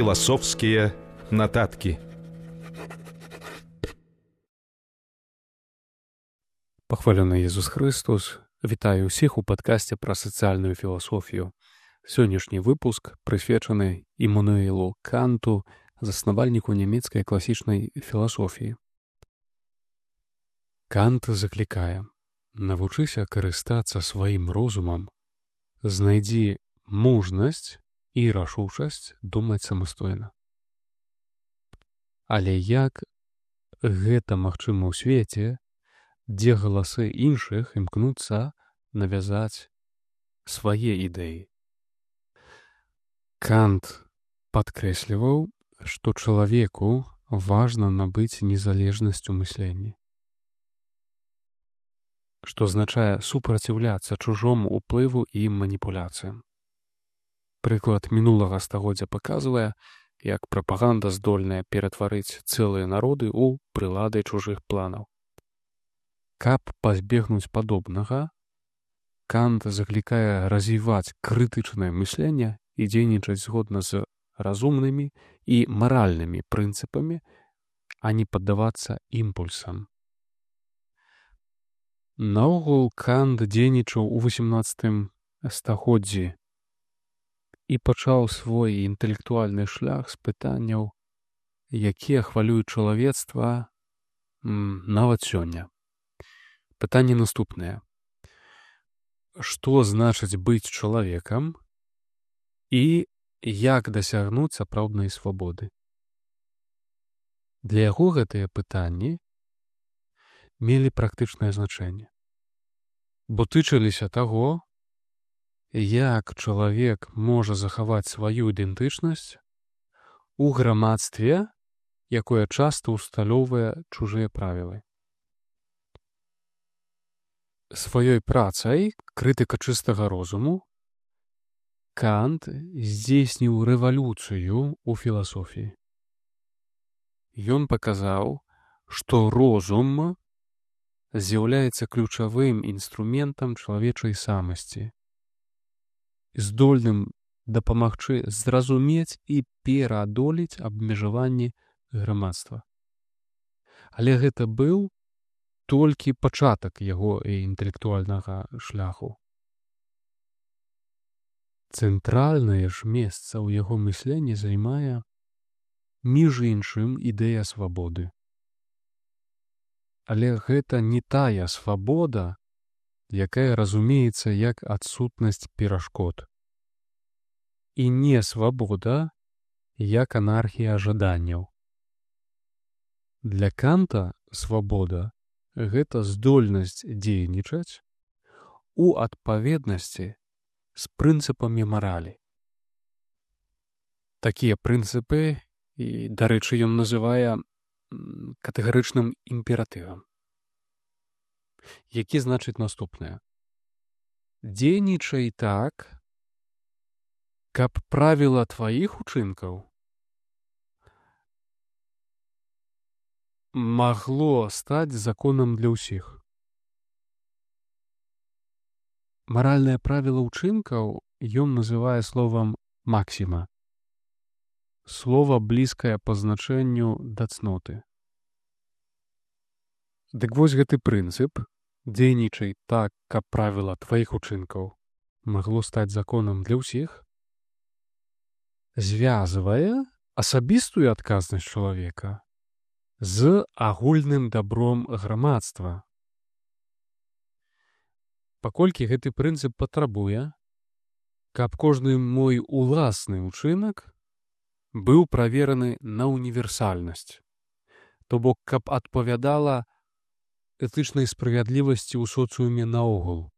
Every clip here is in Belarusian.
Філасофскія нататкі. Пахвалены Езус Христос. Вітаю ўсіх у падкасце пра сацыяльную філасофію. Сённяшні выпуск прысвечаны Іммануэлу Канту, заснавальніку нямецкай класічнай філасофіі. Кант заклікае: навучыся карыстацца сваім розумам, знайдзі мужнасць і рашучасць думаць самастойна. Але як гэта магчыма ў свеце, дзе галасы іншых імкнуцца навязаць свае ідэі? Кант падкрэсліваў, што чалавеку важна набыць незалежнасць у мысленні, што азначае супраціўляцца чужому ўплыву і маніпуляцыям. Прыклад мінулага стагоддзя паказвае, як прапаганда здольная ператварыць цэлыя народы ў прылады чужых планаў. Каб пазбегнуць падобнага, Кант заклікае развіваць крытычнае мысленне і дзейнічаць згодна з разумнымі і маральнымі прынцыпамі, а не паддавацца імпульсам. Наогул Кант дзейнічаў у 18 стагоддзі і пачаў свой інтэлектуальны шлях з пытанняў, якія хвалююць чалавецтва нават сёння. Пытанне наступнае: што значыць быць чалавекам і як дасягнуць сапраўднай свабоды? Для яго гэтыя пытанні мелі практычнае значэнне, бо тычыліся таго, як чалавек можа захаваць сваю ідэнтычнасць у грамадстве, якое часта ўсталёўвае чужыя правілы. Сваёй працай «Крытыка чыстага розуму» Кант здзейсніў рэвалюцыю ў філасофіі. Ён паказаў, што розум з'яўляецца ключавым інструментам чалавечай самасці, здольным дапамагчы зразумець і пераадолець абмежаванні грамадства. Але гэта быў толькі пачатак яго інтэлектуальнага шляху. Цэнтральнае ж месца ў яго мысленні займае, між іншым, ідэя свабоды. Але гэта не тая свабода, якая разумеецца як адсутнасць перашкод, і не свабода як анархія жаданняў. Для Канта свабода — гэта здольнасць дзейнічаць у адпаведнасці з прынцыпамі маралі. Такія прынцыпы, і, дарэчы, ён называе катэгарычным імператывам, які значыць наступнае: дзейнічай так, каб правіла тваіх учынкаў магло стаць законам для ўсіх. Маральнае правіла ўчынкаў ён называе словам «максіма», слова, блізкае па значэнню да цноты. Дык вось гэты прынцып «дзейнічай так, каб правіла тваіх учынкаў магло стаць законам для ўсіх» звязвае асабістую адказнасць чалавека з агульным дабром грамадства. Паколькі гэты прынцып патрабуе, каб кожны мой уласны ўчынак быў правераны на універсальнасць, то бок каб адпавядала этычнай справядлівасці ў соцыуме наогул.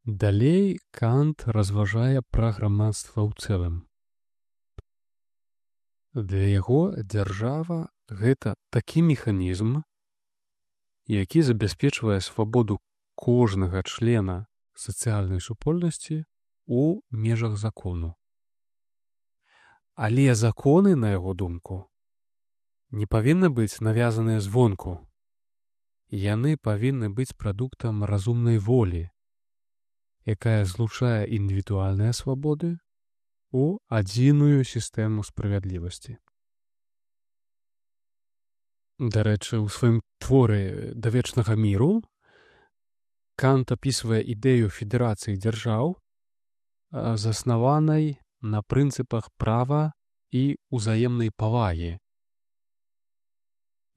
Далей Кант разважае пра грамадства ў цэлым. Для яго дзяржава — гэта такі механізм, які забяспечвае свабоду кожнага члена сацыяльнай супольнасці ў межах закону. Але законы, на яго думку, не павінны быць навязаныя звонку. Яны павінны быць прадуктам разумнай волі, якая злучае індывідуальныя свабоды у адзіную сістэму справядлівасці. Дарэчы, у сваім творы «Да вечнага міру» Кант апісвае ідэю федэрацыі дзяржаў, заснаванай на прынцыпах права і ўзаемнай павагі.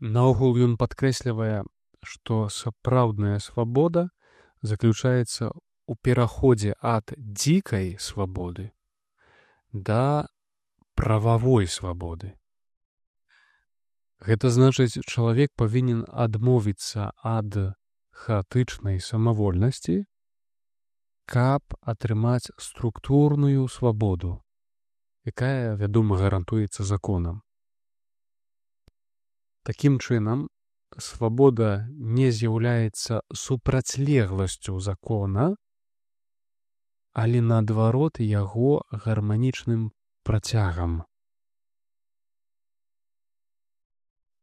Наогул ён падкрэслівае, што сапраўдная свабода заключаецца ў пераходзе ад дзікай свабоды да прававой свабоды. Гэта значыць, чалавек павінен адмовіцца ад хаатычнай самавольнасці, каб атрымаць структурную свабоду, якая, вядома, гарантуецца законам. Такім чынам, свабода не з'яўляецца супрацьлегласцю закона, але наадварот яго гарманічным працягам.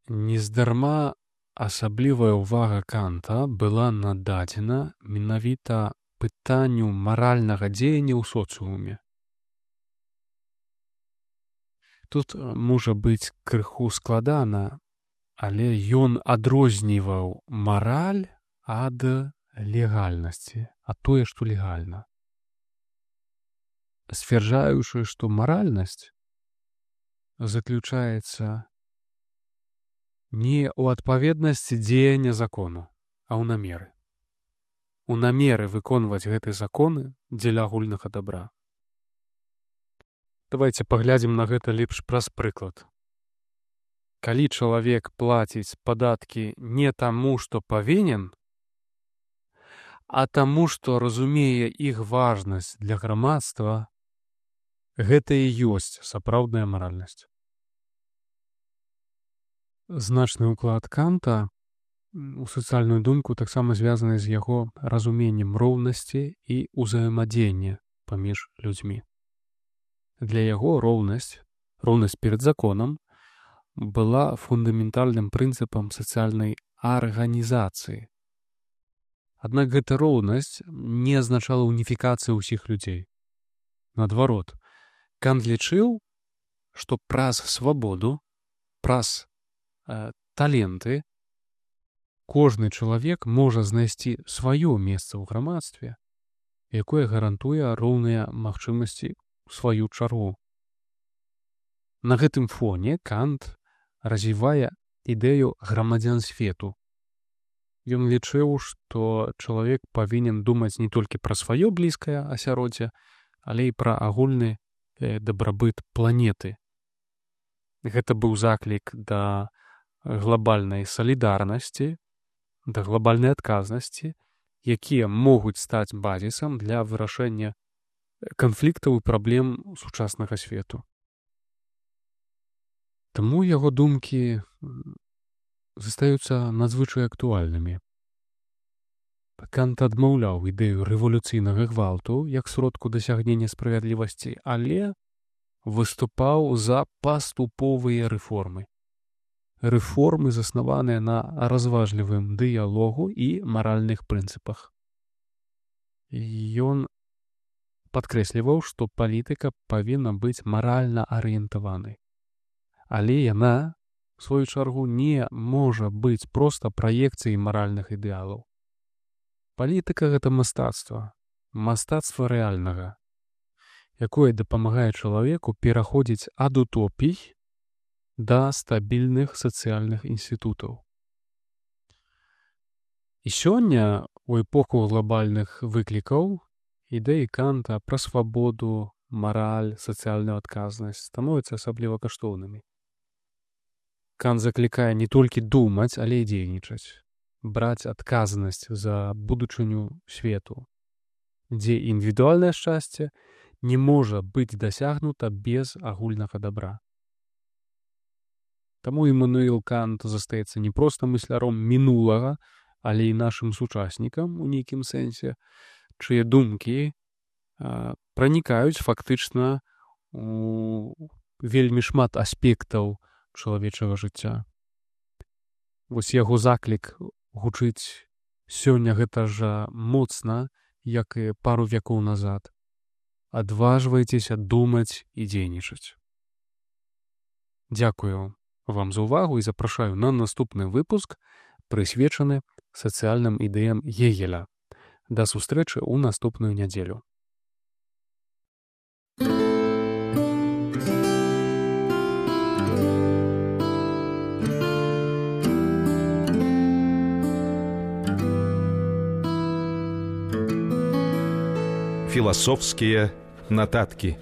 Нездарма асаблівая ўвага Канта была нададзена менавіта пытанню маральнага дзеяння ў соцыуме. Тут можа быць крыху складана, але ён адрозніваў мараль ад легальнасці, ад тое, што легальна. Сцвярджаючы, што маральнасць заключаецца не ў адпаведнасці дзеяння закону, а ў намеры. У намеры выконваць гэтыя законы дзеля агульнага дабра. Давайце паглядзім на гэта лепш праз прыклад. Калі чалавек плаціць падаткі не таму, што павінен, а таму, што разумее іх важнасць для грамадства, гэта і ёсць сапраўдная маральнасць. Значны ўклад Канта у сацыяльную думку таксама звязаны з яго разуменнем роўнасці і ўзаемадзеяння паміж людзьмі. Для яго роўнасць перад законам, была фундаментальным прынцыпам сацыяльнай арганізацыі. Аднак гэта роўнасць не азначала уніфікацыі ўсіх людзей. Наадварот, Кант лічыў, што праз свабоду, праз таленты кожны чалавек можа знайсці сваё месца ў грамадстве, якое гарантуе роўныя магчымасці ў сваю чаргу. На гэтым фоне Кант развівае ідэю грамадзян свету. Ён лічыў, што чалавек павінен думаць не толькі пра сваё блізкае асяроддзе, але і пра агульны дабрабыт планеты. Гэта быў заклік да глобальнай салідарнасці, да глобальнай адказнасці, якія могуць стаць базісам для вырашэння канфліктаў і праблем сучаснага свету. Таму яго думкі застаюцца надзвычай актуальнымі. Кант адмаўляў ідэю рэвалюцыйнага гвалту як сродку дасягнення справядлівасці, але выступаў за паступовыя рэформы. Рэформы, заснаваныя на разважлівым дыялогу і маральных прынцыпах. Ён падкрэсліваў, што палітыка павінна быць маральна арыентаванай. Але яна, у сваю чаргу, не можа быць проста праекцыяй маральных ідэалаў. Палітыка — гэта мастацтва, мастацтва рэальнага, якое дапамагае чалавеку пераходзіць ад утопій да стабільных сацыяльных інстытутаў. І сёння, у эпоху глобальных выклікаў, ідэі Канта пра свабоду, мараль, сацыяльную адказнасць становяцца асабліва каштоўнымі. Кант заклікае не толькі думаць, але і дзейнічаць, браць адказнасць за будучыню свету, дзе індывідуальнае шчасце не можа быць дасягнута без агульнага дабра. Таму Імануіл Кант застаецца не проста мысляром мінулага, але і нашым сучаснікам у нейкім сэнсе, чые думкі пранікаюць фактычна у вельмі шмат аспектаў чалавечага жыцця. Вось яго заклік гучыць сёння гэта жа моцна, як і пару вякоў назад. адважвайцеся думаць і дзейнічаць. Дзякую вам за ўвагу і запрашаю на наступны выпуск, прысвечаны сацыяльным ідэям Гегеля. Да сустрэчы ў наступную нядзелю. Философские нотатки.